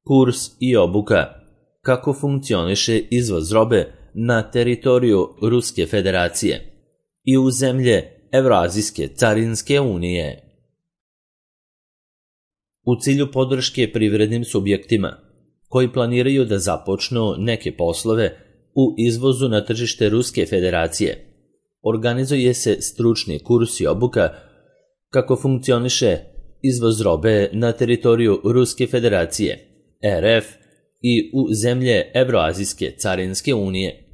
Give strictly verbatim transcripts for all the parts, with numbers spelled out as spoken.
kurs i obuka kako funkcioniše izvoz robe na teritoriju Ruske federacije i u zemlje Evroazijske carinske unije. U cilju podrške privrednim subjektima koji planiraju da započnu neke poslove u izvozu na tržište Ruske federacije, organizuje se stručni kurs i obuka kako funkcioniše izvoz robe na teritoriju Ruske federacije, R F, i u zemlje Evroazijske carinske unije.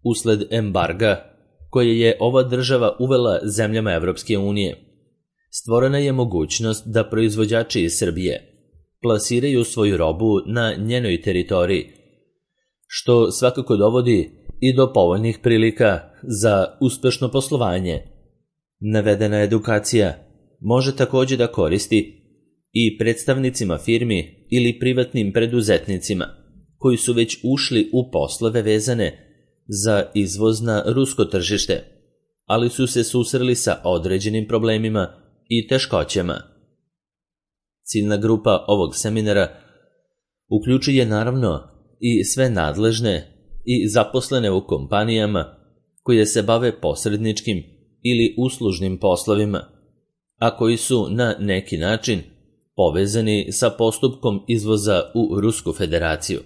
Usled embarga koje je ova država uvela zemljama Evropske unije, stvorena je mogućnost da proizvođači iz Srbije plasiraju svoju robu na njenoj teritoriji, što svakako dovodi i do povoljnih prilika za uspešno poslovanje. Navedena edukacija može također da koristi i predstavnicima firmi ili privatnim preduzetnicima koji su već ušli u poslove vezane za izvoz na rusko tržište, ali su se susreli sa određenim problemima i teškoćama. Ciljna grupa ovog seminara uključuje naravno i sve nadležne i zaposlene u kompanijama koje se bave posredničkim ili uslužnim poslovima, a koji su na neki način povezani sa postupkom izvoza u Rusku federaciju.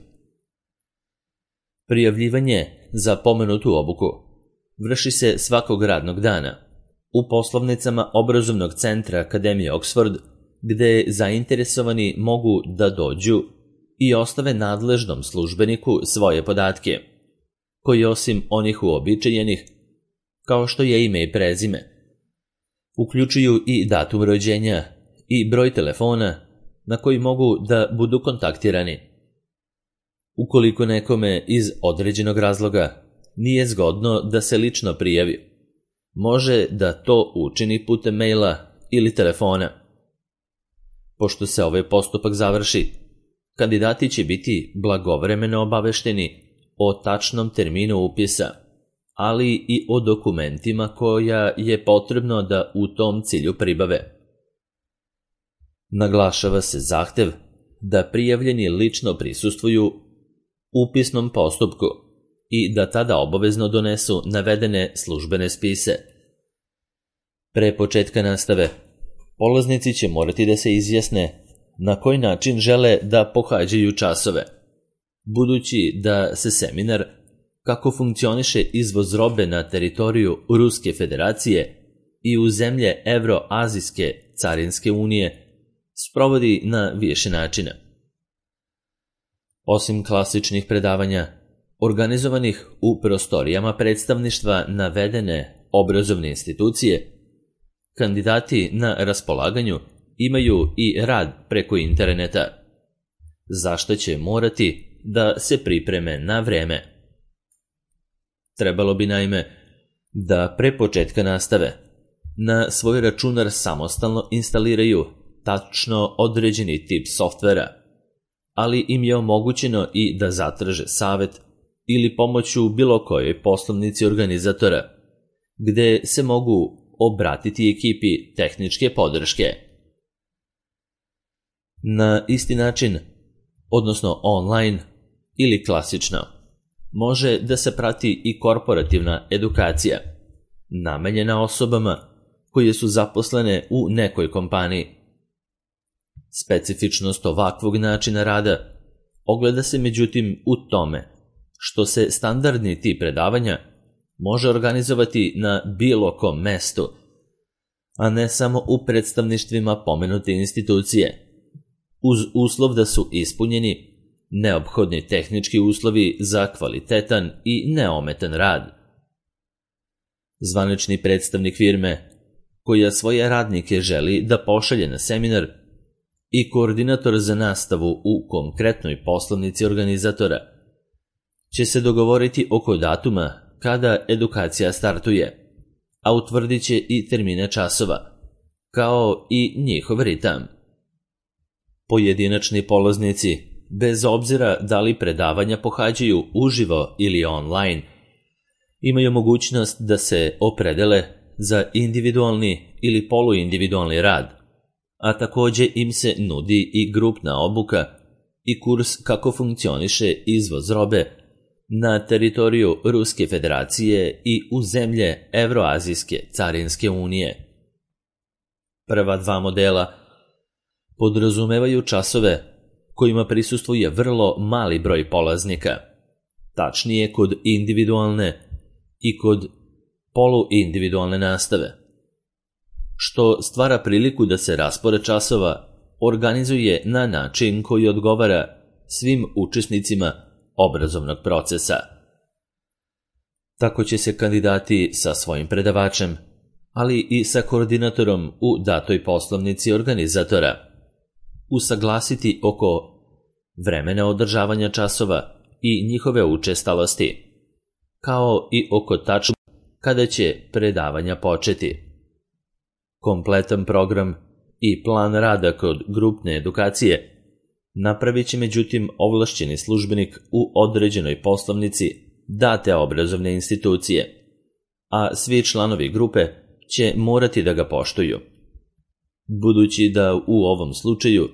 Prijavljivanje za pomenutu obuku vrši se svakog radnog dana u poslovnicama obrazovnog centra Akademije Oxford, gde zainteresovani mogu da dođu i ostave nadležnom službeniku svoje podatke, koji osim onih uobičajenih, kao što je ime i prezime, uključuju i datum rođenja i broj telefona na koji mogu da budu kontaktirani. Ukoliko nekome iz određenog razloga nije zgodno da se lično prijavi, može da to učini putem maila ili telefona. Pošto se ovaj postupak završi, kandidati će biti blagovremeno obavešteni o tačnom terminu upisa, ali i o dokumentima koja je potrebno da u tom cilju pribave. Naglašava se zahtev da prijavljeni lično prisustvuju upisnom postupku i da tada obavezno donesu navedene službene spise. Pre početka nastave, polaznici će morati da se izjasne na koji način žele da pohađaju časove, budući da se seminar kako funkcioniše izvoz robe na teritoriju Ruske federacije i u zemlje Evroazijske carinske unije sprovodi na više načina. Osim klasičnih predavanja, organizovanih u prostorijama predstavništva navedene obrazovne institucije, kandidati na raspolaganju imaju i rad preko interneta, za što će morati da se pripreme na vreme. Trebalo bi naime da pre početka nastave na svoj računar samostalno instaliraju tačno određeni tip softvera, ali im je omogućeno i da zatraže savet ili pomoć u bilo kojoj poslovnici organizatora, gde se mogu obratiti ekipi tehničke podrške. Na isti način, odnosno online ili klasično, može da se prati i korporativna edukacija, namenjena osobama koje su zaposlene u nekoj kompaniji. Specifičnost ovakvog načina rada ogleda se međutim u tome što se standardni tip predavanja može organizovati na bilo kom mestu, a ne samo u predstavništvima pomenute institucije, uz uslov da su ispunjeni neophodni tehnički uslovi za kvalitetan i neometan rad. Zvanični predstavnik firme koja svoje radnike želi da pošalje na seminar i koordinator za nastavu u konkretnoj poslovnici organizatora će se dogovoriti oko datuma kada edukacija startuje, a utvrdit će i termine časova, kao i njihov ritam. Pojedinačni polaznici, bez obzira da li predavanja pohađaju uživo ili online, imaju mogućnost da se opredele za individualni ili poluindividualni rad, a također im se nudi i grupna obuka i kurs kako funkcioniše izvoz robe na teritoriju Ruske federacije i u zemlje Evroazijske carinske unije. Prva dva modela podrazumevaju časove kojima prisustvuje vrlo mali broj polaznika, tačnije kod individualne i kod poluindividualne nastave, što stvara priliku da se raspored časova organizuje na način koji odgovara svim učesnicima obrazovnog procesa. Tako će se kandidati sa svojim predavačem, ali i sa koordinatorom u datoj poslovnici organizatora usaglasiti oko vremena održavanja časova i njihove učestalosti, kao i oko tačnog kada će predavanja početi. Kompletan program i plan rada kod grupne edukacije napravit će međutim ovlašćeni službenik u određenoj poslovnici date obrazovne institucije, a svi članovi grupe će morati da ga poštuju. Budući da u ovom slučaju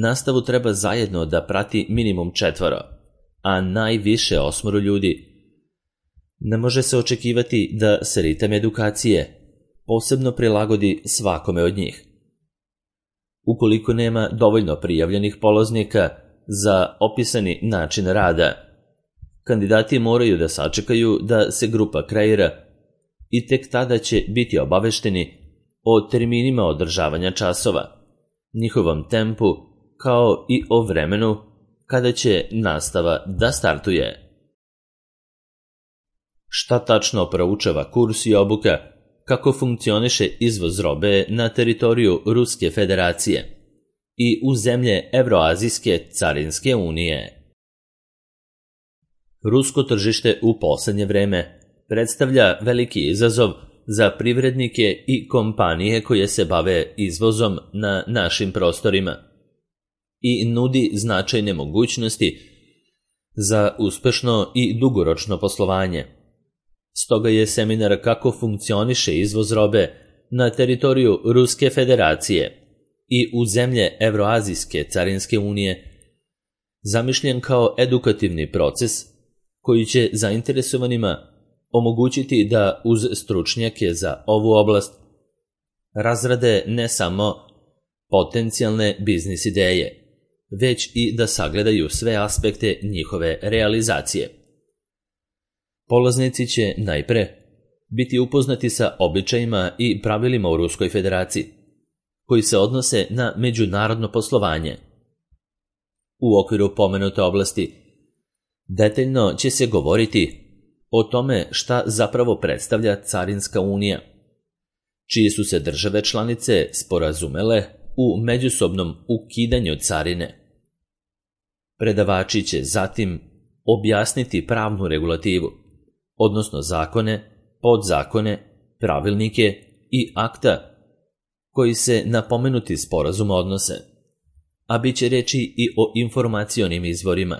nastavu treba zajedno da prati minimum četvoro, a najviše osmoro ljudi, ne može se očekivati da se ritam edukacije posebno prilagodi svakome od njih. Ukoliko nema dovoljno prijavljenih polaznika za opisani način rada, kandidati moraju da sačekaju da se grupa kreira i tek tada će biti obavešteni o terminima održavanja časova, njihovom tempu, kao i o vremenu kada će nastava da startuje. Šta tačno proučava kurs i obuka kako funkcioniše izvoz robe na teritoriju Ruske federacije i u zemlje Evroazijske carinske unije? Rusko tržište u poslednje vreme predstavlja veliki izazov za privrednike i kompanije koje se bave izvozom na našim prostorima i nudi značajne mogućnosti za uspešno i dugoročno poslovanje. Stoga je seminar kako funkcioniše izvoz robe na teritoriju Ruske federacije i u zemlje Evroazijske carinske unije zamišljen kao edukativni proces koji će zainteresovanima omogućiti da uz stručnjake za ovu oblast razrade ne samo potencijalne biznis ideje, već i da sagledaju sve aspekte njihove realizacije. Polaznici će najpre biti upoznati sa običajima i pravilima u Ruskoj federaciji, koji se odnose na međunarodno poslovanje. U okviru pomenute oblasti detaljno će se govoriti o tome šta zapravo predstavlja Carinska unija, čije su se države članice sporazumele u međusobnom ukidanju carine. Predavači će zatim objasniti pravnu regulativu, odnosno zakone, podzakone, pravilnike i akta koji se na pomenuti sporazum odnose, a bit će reči i o informacionim izvorima,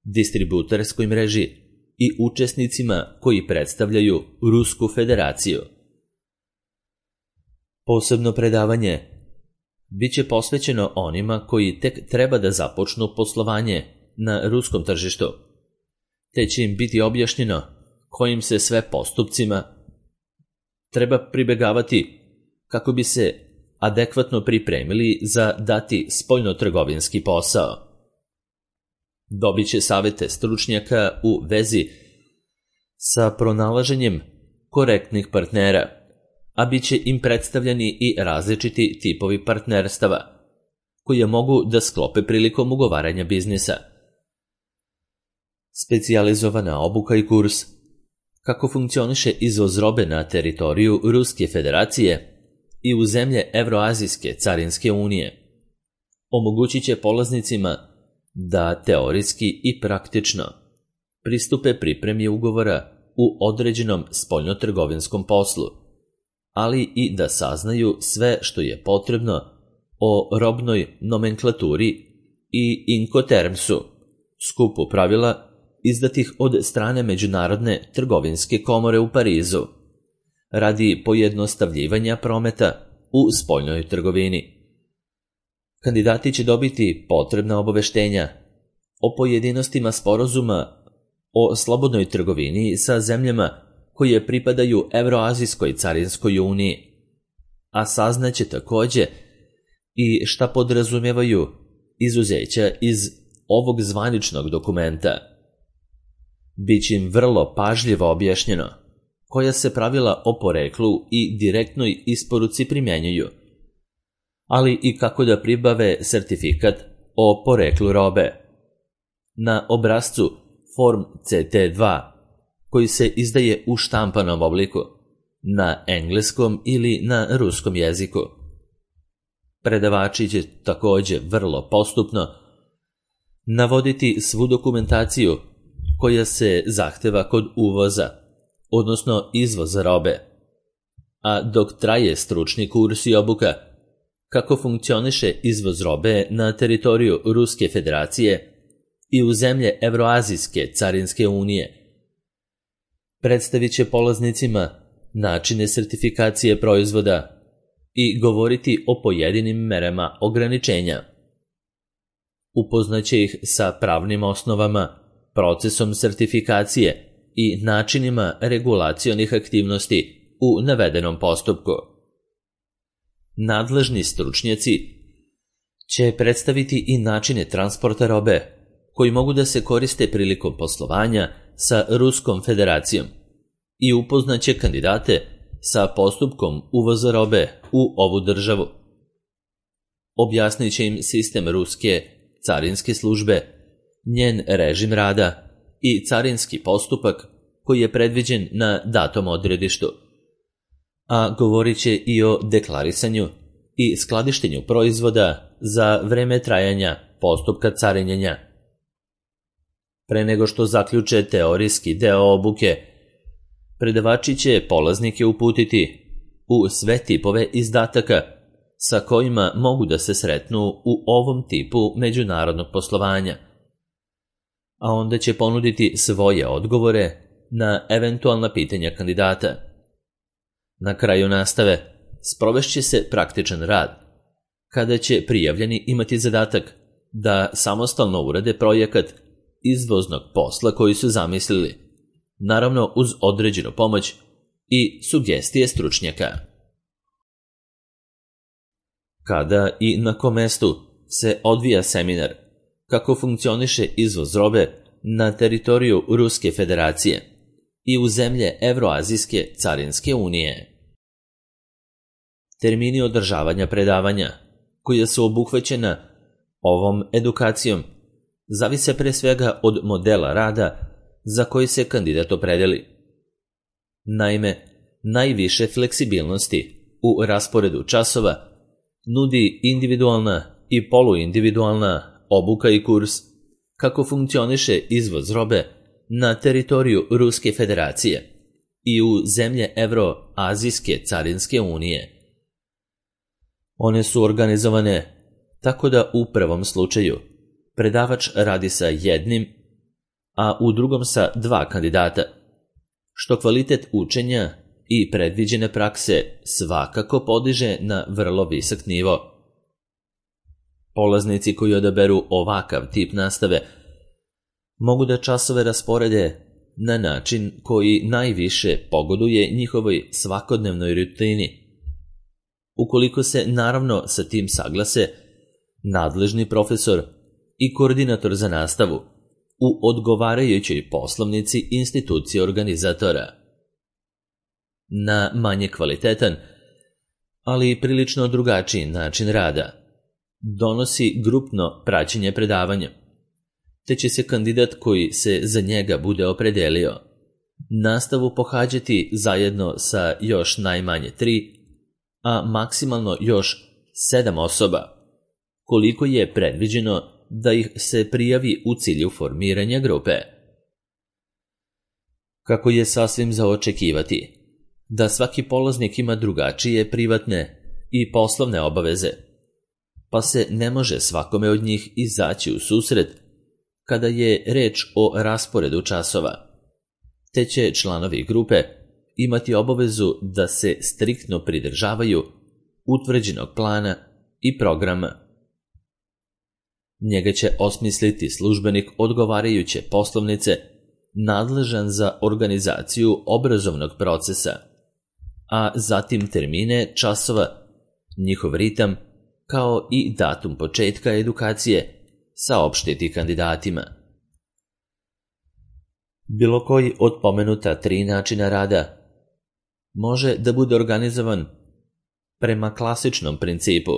distributerskoj mreži i učesnicima koji predstavljaju Rusku federaciju. Posebno predavanje biće posvećeno onima koji tek treba da započnu poslovanje na ruskom tržištu, te će im biti objašnjeno kojim se sve postupcima treba pribegavati kako bi se adekvatno pripremili za dati spoljnotrgovinski posao. Dobit će savete stručnjaka u vezi sa pronalaženjem korektnih partnera, a bit će im predstavljeni i različiti tipovi partnerstava koje mogu da sklope prilikom ugovaranja biznisa. Specijalizovana obuka i kurs kako funkcioniše izvoz robe na teritoriju Ruske federacije i u zemlje Evroazijske carinske unije omogućit će polaznicima da teorijski i praktično pristupe pripremi ugovora u određenom spoljnotrgovinskom poslu, ali i da saznaju sve što je potrebno o robnoj nomenklaturi i Incotermsu, skupu pravila izdatih od strane Međunarodne trgovinske komore u Parizu, radi pojednostavljivanja prometa u spoljnoj trgovini. Kandidati će dobiti potrebna obaveštenja o pojedinostima sporazuma o slobodnoj trgovini sa zemljama koje pripadaju Evroazijskoj carinskoj uniji, a saznaće takođe i šta podrazumevaju izuzeća iz ovog zvaničnog dokumenta. Biće im vrlo pažljivo objašnjeno koja se pravila o poreklu i direktnoj isporuci primjenjuju, ali i kako da pribave sertifikat o poreklu robe. Na obrascu Form C T dva, koji se izdaje u štampanom obliku, na engleskom ili na ruskom jeziku. Predavači će takođe vrlo postupno navoditi svu dokumentaciju koja se zahteva kod uvoza, odnosno izvoza robe, a dok traje stručni kurs i obuka kako funkcioniše izvoz robe na teritoriju Ruske federacije i u zemlje Evroazijske carinske unije, predstavit će polaznicima načine sertifikacije proizvoda i govoriti o pojedinim merama ograničenja. Upoznaće ih sa pravnim osnovama, procesom sertifikacije i načinima regulacionih aktivnosti u navedenom postupku. Nadležni stručnjaci će predstaviti i načine transporta robe koji mogu da se koriste prilikom poslovanja sa Ruskom federacijom i upoznaće kandidate sa postupkom uvoza robe u ovu državu. Objasnit će im sistem Ruske carinske službe, njen režim rada i carinski postupak koji je predviđen na datom odredištu, a govorit će i o deklarisanju i skladištenju proizvoda za vreme trajanja postupka carinjenja. Pre nego što zaključe teorijski deo obuke, predavači će polaznike uputiti u sve tipove izdataka sa kojima mogu da se sretnu u ovom tipu međunarodnog poslovanja, a onda će ponuditi svoje odgovore na eventualna pitanja kandidata. Na kraju nastave sprovešće se praktičan rad, kada će prijavljeni imati zadatak da samostalno urade projekat izvoznog posla koji su zamislili, naravno uz određenu pomoć i sugestije stručnjaka. Kada i na kom mestu se odvija seminar kako funkcioniše izvoz robe na teritoriju Ruske federacije i u zemlje Evroazijske carinske unije. Termini održavanja predavanja, koja su obuhvaćena ovom edukacijom, zavise pre svega od modela rada za koji se kandidat opredeli. Naime, najviše fleksibilnosti u rasporedu časova nudi individualna i poluindividualna obuka i kurs kako funkcioniše izvoz robe na teritoriju Ruske federacije i u zemlje Evroazijske carinske unije. One su organizovane tako da u prvom slučaju predavač radi sa jednim, a u drugom sa dva kandidata, što kvalitet učenja i predviđene prakse svakako podiže na vrlo visok nivo. Polaznici koji odaberu ovakav tip nastave mogu da časove rasporede na način koji najviše pogoduje njihovoj svakodnevnoj rutini. Ukoliko se naravno sa tim saglase nadležni profesor i koordinator za nastavu u odgovarajućoj poslovnici institucije organizatora. Na manje kvalitetan, ali prilično drugačiji način rada donosi grupno praćenje predavanja, te će se kandidat koji se za njega bude opredelio nastavu pohađati zajedno sa još najmanje tri, a maksimalno još sedam osoba, koliko je predviđeno da ih se prijavi u cilju formiranja grupe. Kako je sasvim za očekivati da svaki polaznik ima drugačije privatne i poslovne obaveze, pa se ne može svakome od njih izaći u susret kada je reč o rasporedu časova, te će članovi grupe imati obavezu da se striktno pridržavaju utvrđenog plana i programa Njega će osmisliti službenik odgovarajuće poslovnice nadležan za organizaciju obrazovnog procesa, a zatim termine časova, njihov ritam, kao i datum početka edukacije saopštiti kandidatima. Bilo koji od pomenuta tri načina rada može da bude organizovan prema klasičnom principu,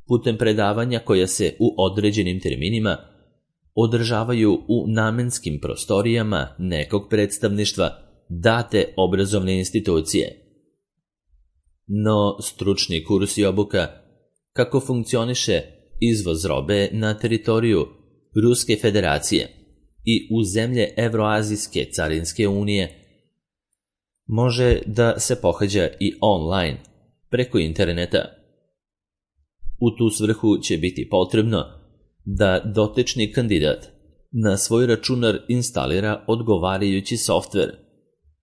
putem predavanja koja se u određenim terminima održavaju u namenskim prostorijama nekog predstavništva date obrazovne institucije. No, stručni kurs i obuka kako funkcioniše izvoz robe na teritoriju Ruske federacije i u zemlje Evroazijske carinske unije može da se pohađa i online, preko interneta. U tu svrhu će biti potrebno da dotični kandidat na svoj računar instalira odgovarajući softver,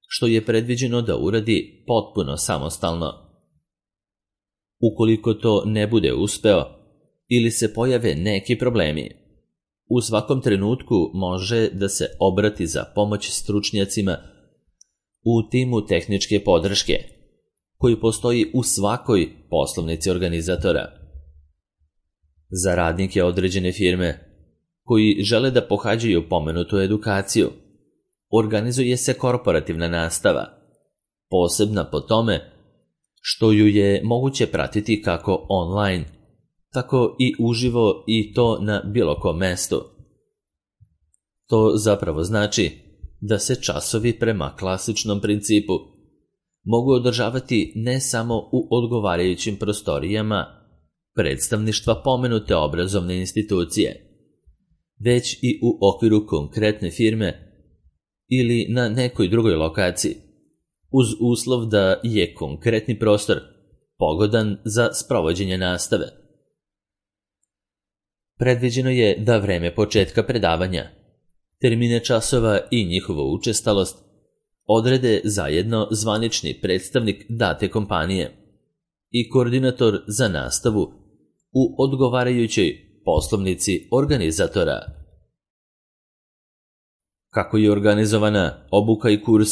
što je predviđeno da uradi potpuno samostalno. Ukoliko to ne bude uspeo ili se pojave neki problemi, u svakom trenutku može da se obrati za pomoć stručnjacima u timu tehničke podrške, koji postoji u svakoj poslovnici organizatora. Za radnike određene firme koji žele da pohađaju pomenutu edukaciju, organizuje se korporativna nastava, posebna po tome što ju je moguće pratiti kako online, tako i uživo i to na bilo kom mestu. To zapravo znači da se časovi prema klasičnom principu mogu održavati ne samo u odgovarajućim prostorijama predstavništva pomenute obrazovne institucije, već i u okviru konkretne firme ili na nekoj drugoj lokaciji, uz uslov da je konkretni prostor pogodan za sprovođenje nastave. Predviđeno je da vreme početka predavanja, termine časova i njihovu učestalost odrede zajedno zvanični predstavnik date kompanije i koordinator za nastavu u odgovarajućoj poslovnici organizatora. Kako je organizovana obuka i kurs,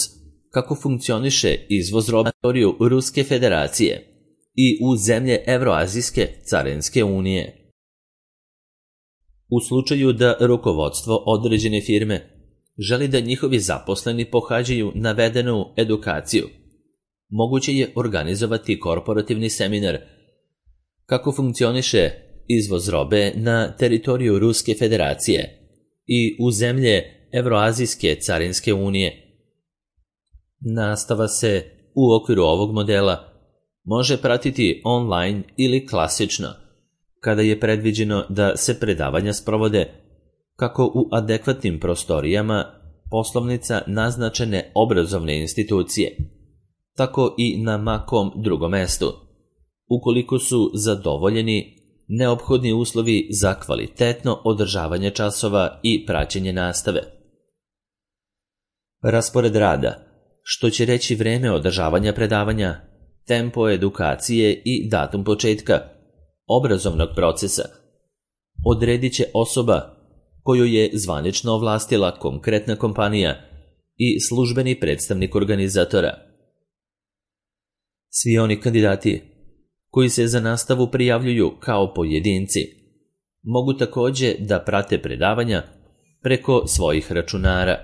kako funkcioniše izvoz robe na teritoriju Ruske federacije i u zemlje Evroazijske carinske unije. U slučaju da rukovodstvo određene firme želi da njihovi zaposleni pohađaju navedenu edukaciju, moguće je organizovati korporativni seminar kako funkcioniše izvoz robe na teritoriju Ruske federacije i u zemlje Evroazijske carinske unije. Nastava se u okviru ovog modela može pratiti online ili klasično, kada je predviđeno da se predavanja sprovode kako u adekvatnim prostorijama poslovnica naznačene obrazovne institucije, tako i na makom drugom mestu, ukoliko su zadovoljeni neophodni uslovi za kvalitetno održavanje časova i praćenje nastave. Raspored rada, što će reći vreme održavanja predavanja, tempo edukacije i datum početka obrazovnog procesa, odredit će osoba koju je zvanično ovlastila konkretna kompanija i službeni predstavnik organizatora. Svi oni kandidati koji se za nastavu prijavljuju kao pojedinci mogu takođe da prate predavanja preko svojih računara,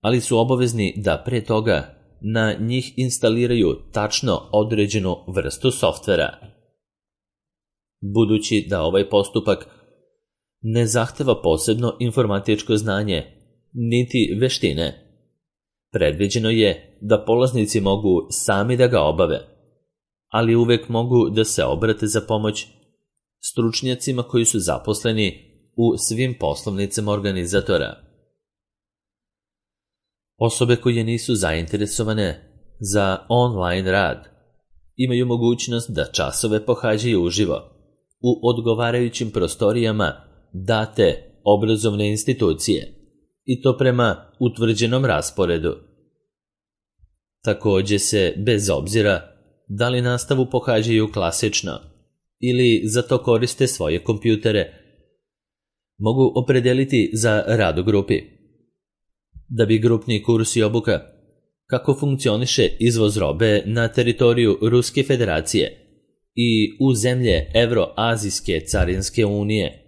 ali su obavezni da pre toga na njih instaliraju tačno određenu vrstu softvera. Budući da ovaj postupak ne zahteva posebno informatičko znanje niti veštine, predviđeno je da polaznici mogu sami da ga obave, ali uvek mogu da se obrate za pomoć stručnjacima koji su zaposleni u svim poslovnicama organizatora. Osobe koje nisu zainteresovane za online rad imaju mogućnost da časove pohađaju uživo u odgovarajućim prostorijama date obrazovne institucije i to prema utvrđenom rasporedu. Takođe se, bez obzira da li nastavu pohađaju klasično ili za to koriste svoje kompjutere, mogu opredeliti za rad u grupi. Da bi grupni kurs i obuka kako funkcioniše izvoz robe na teritoriju Ruske federacije i u zemlje Evroazijske carinske unije.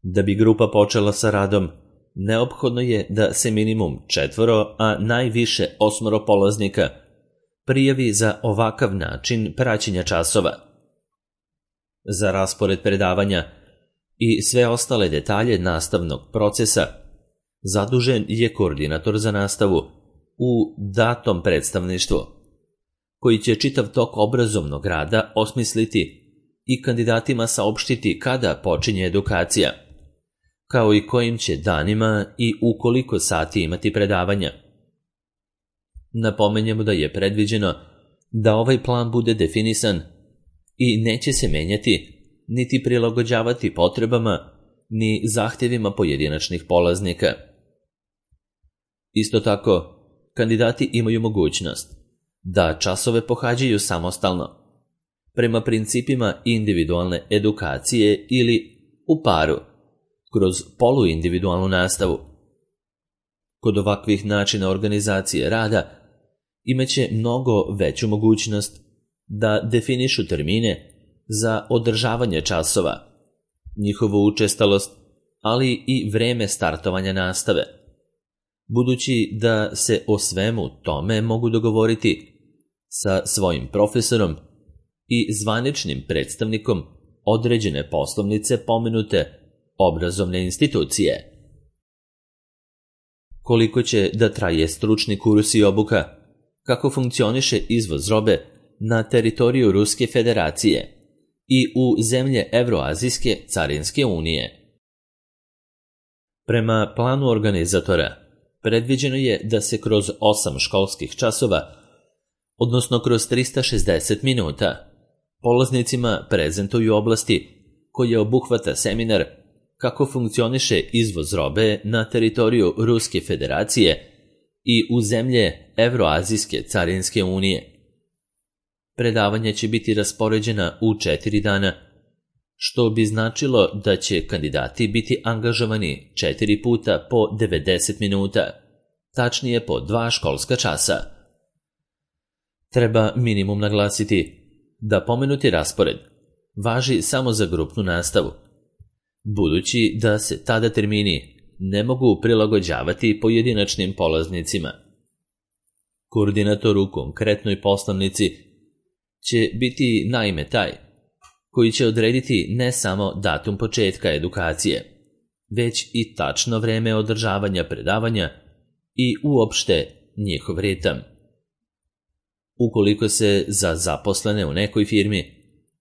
Da bi grupa počela sa radom, neophodno je da se minimum četvoro, a najviše osmoro polaznika prijavi za ovakav način praćenja časova. Za raspored predavanja i sve ostale detalje nastavnog procesa zadužen je koordinator za nastavu u datom predstavništvu, koji će čitav tok obrazovnog rada osmisliti i kandidatima saopštiti kada počinje edukacija, kao i kojim će danima i u koliko sati imati predavanja. Napomenjemo da je predviđeno da ovaj plan bude definisan i neće se menjati niti prilagođavati potrebama ni zahtjevima pojedinačnih polaznika. Isto tako, kandidati imaju mogućnost da časove pohađaju samostalno, prema principima individualne edukacije ili u paru, kroz poluindividualnu nastavu. Kod ovakvih načina organizacije rada imaće mnogo veću mogućnost da definišu termine za održavanje časova, njihovu učestalost, ali i vreme startovanja nastave, budući da se o svemu tome mogu dogovoriti sa svojim profesorom i zvaničnim predstavnikom određene poslovnice pomenute obrazovne institucije. Koliko će da traje stručni kurs i obuka, kako funkcioniše izvoz robe na teritoriju Ruske federacije i u zemlje Evroazijske carinske unije. Prema planu organizatora, predviđeno je da se kroz osam školskih časova, odnosno kroz trista šezdeset minuta, polaznicima prezentuju oblasti koje obuhvata seminar kako funkcioniše izvoz robe na teritoriju Ruske federacije i u zemlje Evroazijske carinske unije. Predavanja će biti raspoređena u četiri dana, što bi značilo da će kandidati biti angažovani četiri puta po devedeset minuta, tačnije po dva školska časa. Treba minimum naglasiti da pomenuti raspored važi samo za grupnu nastavu, budući da se tada termini ne mogu prilagođavati pojedinačnim polaznicima. Koordinator u konkretnoj poslovnici će biti naime taj koji će odrediti ne samo datum početka edukacije, već i tačno vreme održavanja predavanja i uopšte njihov ritam. Ukoliko se za zaposlene u nekoj firmi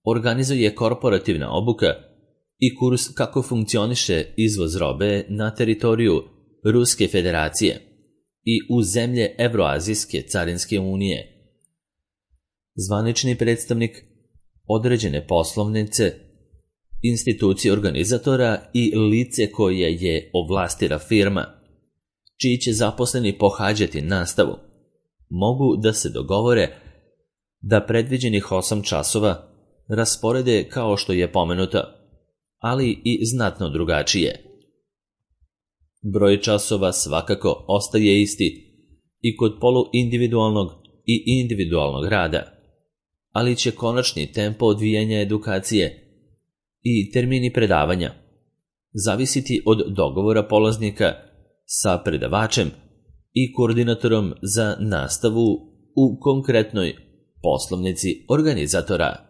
organizuje korporativna obuka i kurs kako funkcioniše izvoz robe na teritoriju Ruske federacije i u zemlje Evroazijske carinske unije, zvanični predstavnik određene poslovnice, institucije organizatora i lice koje je ovlastila firma, čiji će zaposleni pohađati nastavu, mogu da se dogovore da predviđenih osam časova rasporede kao što je pomenuto, ali i znatno drugačije. Broj časova svakako ostaje isti i kod poluindividualnog i individualnog rada, ali će konačni tempo odvijanja edukacije i termini predavanja zavisiti od dogovora polaznika sa predavačem i koordinatorom za nastavu u konkretnoj poslovnici organizatora.